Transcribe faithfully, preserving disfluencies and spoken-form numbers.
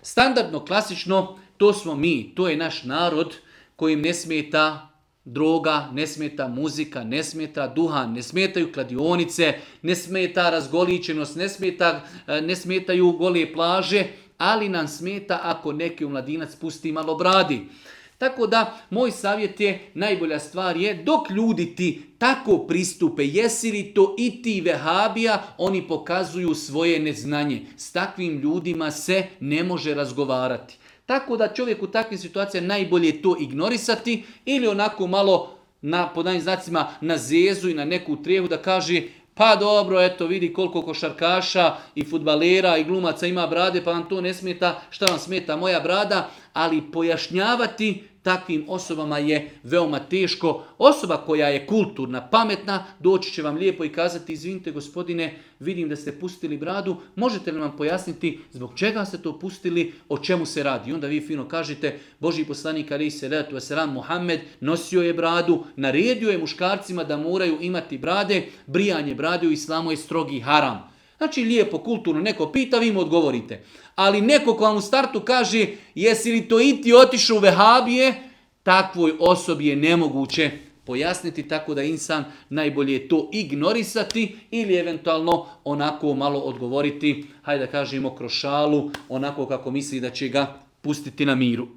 Standardno, klasično, to smo mi, to je naš narod kojim ne smeta droga, ne smeta muzika, ne smeta duhan, ne smetaju kladionice, ne smeta razgoličenost, ne, smeta, ne smetaju gole plaže, ali nam smeta ako neki mladinac pusti malo bradi. Tako da, moj savjet je, najbolja stvar je, dok ljudi ti tako pristupe, jesi li to i ti vehabija, oni pokazuju svoje neznanje. S takvim ljudima se ne može razgovarati. Tako da čovjek u takvim situacijama najbolje to ignorisati ili onako malo na podajnim znacima na zezu i na neku trijehu da kaže pa dobro, eto vidi koliko košarkaša i fudbalera i glumaca ima brade, pa vam to ne smeta, šta vam smeta moja brada, ali pojašnjavati takvim osobama je veoma teško. Osoba koja je kulturna, pametna, doći će vam lijepo i kazati, izvinite gospodine, vidim da ste pustili bradu, možete li nam pojasniti zbog čega ste to pustili, o čemu se radi? I onda vi fino kažete, Božji poslanik alejhi selatu vesselam Muhammed nosio je bradu, naredio je muškarcima da moraju imati brade, brijanje brade u islamu je strogi haram. Znači lijepo, kulturno, neko pita, vi mu odgovorite. Ali neko ko vam u startu kaže, jesi li to i ti otišao u vehabije, takvoj osobi je nemoguće pojasniti, tako da insan najbolje je to ignorisati ili eventualno onako malo odgovoriti, hajde da kažemo kroz šalu, onako kako misli da će ga pustiti na miru.